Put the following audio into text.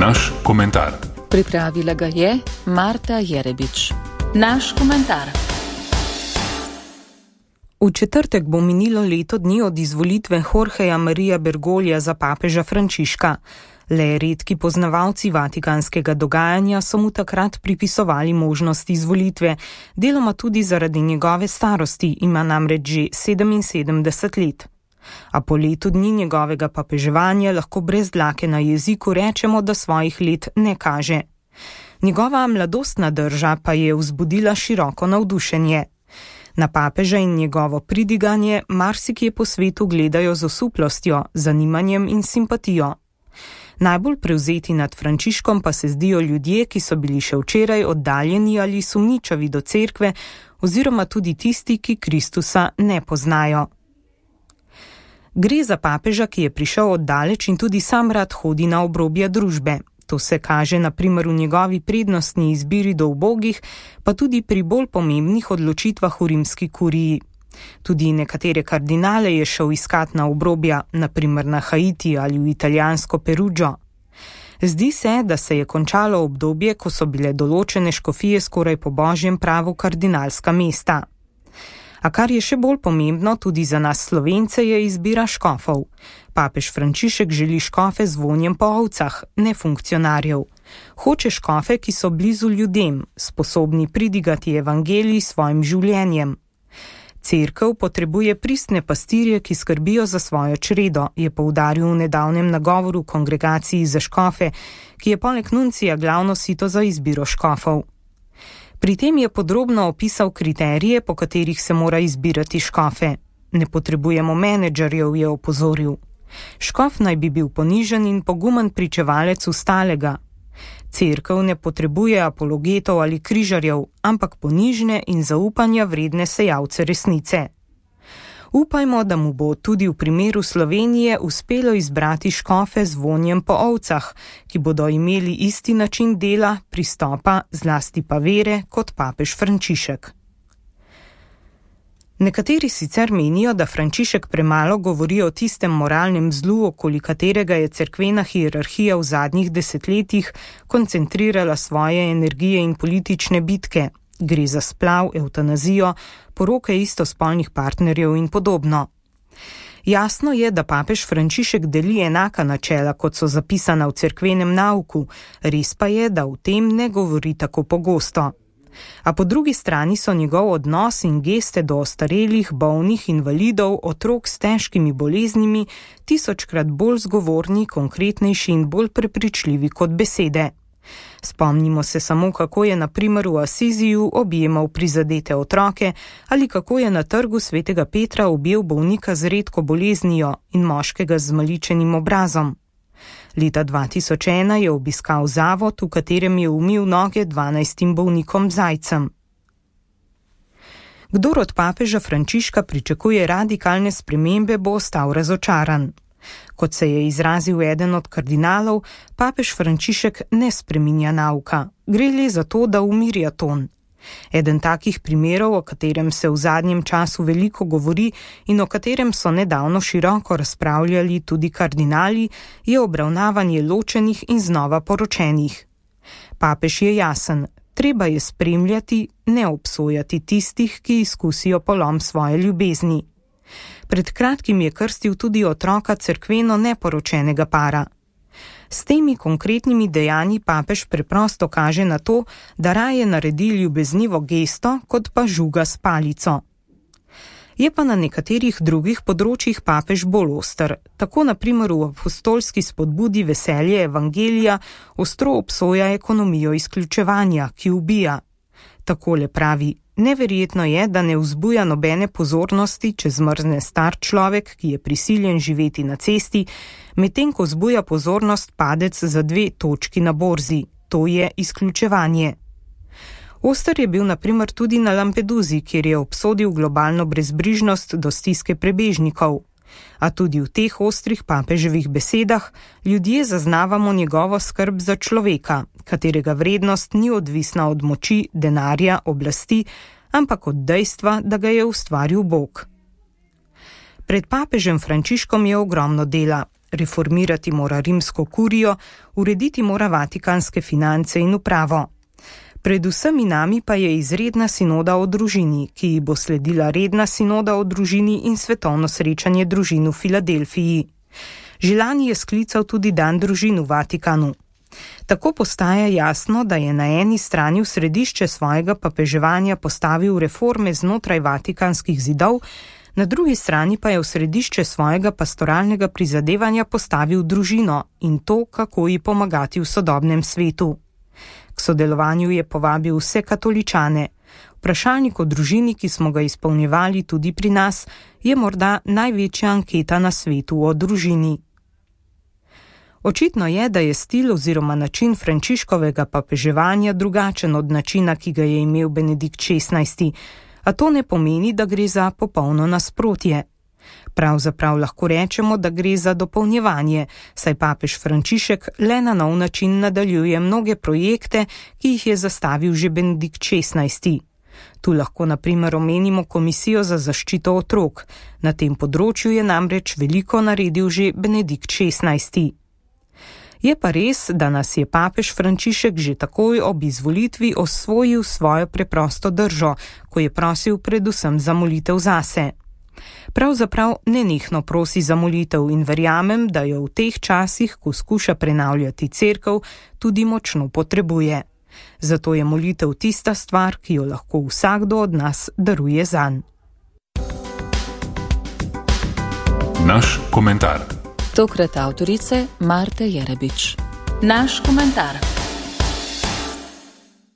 Naš komentar. Pripravila ga je Marta Jerebič. Naš komentar. V četrtek bo minilo leto dni od izvolitve Jorgeja Maria Bergoglja za papeža Frančiška. Le redki poznavalci vatikanskega dogajanja so mu takrat pripisovali možnost izvolitve, deloma tudi zaradi njegove starosti, ima namreč že 77 let. A po letu dni njegovega papeževanja lahko brez dlake na jeziku rečemo, da svojih let ne kaže. Njegova mladostna drža pa je vzbudila široko navdušenje. Na papeža in njegovo pridiganje marsikje po svetu gledajo z osuplostjo, zanimanjem in simpatijo. Najbolj prevzeti nad Frančiškom pa se zdijo ljudje, ki so bili še včeraj oddaljeni ali sumničavi do cerkve, oziroma tudi tisti, ki Kristusa ne poznajo. Gre za papeža, ki je prišel oddaleč in tudi sam rad hodi na obrobja družbe. To se kaže na primer v njegovi prednostni izbiri do ubogih, pa tudi pri bolj pomembnih odločitvah v rimski kuriji. Tudi nekatere kardinale je šel iskat na obrobja, na primer na Haiti ali v italijansko Perugio. Zdi se, da se je končalo obdobje, ko so bile določene škofije skoraj po božjem pravu kardinalska mesta. A kar je še bolj pomembno tudi za nas Slovence, je izbira škofov. Papež Frančišek želi škofe z vonjem po ovcah, ne funkcionarjev. Hoče škofe, ki so blizu ljudem, sposobni pridigati evangelij s svojim življenjem. Cerkev potrebuje pristne pastirje, ki skrbijo za svojo čredo, je poudaril v nedavnem nagovoru kongregaciji za škofe, ki je poleg nuncija glavno sito za izbiro škofov. Pri tem je podrobno opisal kriterije, po katerih se mora izbirati škofe. Ne potrebujemo menedžerjev, je opozoril. Škof naj bi bil ponižen in pogumen pričevalec ustalega. Cerkev ne potrebuje apologetov ali križarjev, ampak ponižne in zaupanja vredne sejalce resnice. Upajmo, da mu bo tudi v primeru Slovenije uspelo izbrati škofe z vonjem po ovcah, ki bodo imeli isti način dela, pristopa, zlasti pa vere, kot papež Frančišek. Nekateri sicer menijo, da Frančišek premalo govori o tistem moralnem zlu, okoli katerega je cerkvena hierarhija v zadnjih desetletjih koncentrirala svoje energije in politične bitke. Gre za splav, evtanazijo, poroke istospolnih partnerjev in podobno. Jasno je, da papež Frančišek deli enaka načela, kot so zapisana v cerkvenem nauku, res pa je, da v tem ne govori tako pogosto. A po drugi strani so njegov odnos in geste do ostarelih, bolnih, invalidov, otrok s težkimi boleznimi tisočkrat bolj zgovorni, konkretnejši in bolj prepričljivi kot besede. Spomnimo se samo, kako je na primer v Asiziju objemal prizadete otroke ali kako je na trgu svetega Petra objel bolnika z redko boleznijo in moškega z zmaličenim obrazom. Leta 2001 je obiskal zavod, v katerem je umil noge 12 bolnikom zajcem. Kdor od papeža Frančiška pričakuje radikalne spremembe, bo ostal razočaran. Kot se je izrazil eden od kardinalov, papež Frančišek ne spreminja nauka. Gre le za to, da umirja ton. Eden takih primerov, o katerem se v zadnjem času veliko govori in o katerem so nedavno široko razpravljali tudi kardinali, je obravnavanje ločenih in znova poročenih. Papež je jasen, treba je spremljati, ne obsojati tistih, ki izkusijo polom svoje ljubezni. Pred kratkim je krstil tudi otroka cerkveno neporočenega para. S temi konkretnimi dejanji papež preprosto kaže na to, da raje naredi ljubeznivo gesto, kot pa žuga s palico. Je pa na nekaterih drugih področjih papež bolj oster. Tako na primer v apostolski spodbudi veselje evangelija ostro obsoja ekonomijo izključevanja, ki ubija. Takole pravi: neverjetno je, da ne vzbuja nobene pozornosti, če zmrzne star človek, ki je prisiljen živeti na cesti, medtem ko vzbuja pozornost padec za 2 točki na borzi. To je izključevanje. Oster je bil na primer tudi na Lampeduzi, kjer je obsodil globalno brezbrižnost do stiske prebežnikov. A tudi v teh ostrih papeževih besedah ljudje zaznavamo njegovo skrb za človeka, katerega vrednost ni odvisna od moči, denarja, oblasti, ampak od dejstva, da ga je ustvaril Bog. Pred papežem Frančiškom je ogromno dela. reformirati mora rimsko kurijo, urediti mora vatikanske finance in upravo. Pred vsemi nami pa je izredna sinoda o družini, ki ji bo sledila redna sinoda o družini in svetovno srečanje družin v Filadelfiji. Že lani je sklical tudi dan družin v Vatikanu. Tako postaja jasno, da je na eni strani v središče svojega papeževanja postavil reforme znotraj vatikanskih zidov, na drugi strani pa je v središče svojega pastoralnega prizadevanja postavil družino in to, kako ji pomagati v sodobnem svetu. K sodelovanju je povabil vse katoličane. Vprašalnik o družini, ki smo ga izpolnjevali tudi pri nas, je morda največja anketa na svetu o družini. Očitno je, da je stil oziroma način Frančiškovega papeževanja drugačen od načina, ki ga je imel Benedikt XVI, a to ne pomeni, da gre za popolno nasprotje. Pravzaprav lahko rečemo, da gre za dopolnjevanje, saj papež Frančišek le na nov način nadaljuje mnoge projekte, ki jih je zastavil že Benedikt XVI. Tu lahko na primer omenimo Komisijo za zaščito otrok. Na tem področju je namreč veliko naredil že Benedikt XVI. Je pa res, da nas je papež Frančišek že takoj ob izvolitvi osvojil svojo preprosto držo, ko je prosil predvsem za molitev zase. Pravzaprav nenehno prosi za molitev in verjamem, da jo v teh časih, ko skuša prenavljati cerkev, tudi močno potrebuje. Zato je molitev tista stvar, ki jo lahko vsakdo od nas daruje zanj. Naš komentar. Tokrat avtorice Marte Jerebič. Naš komentar.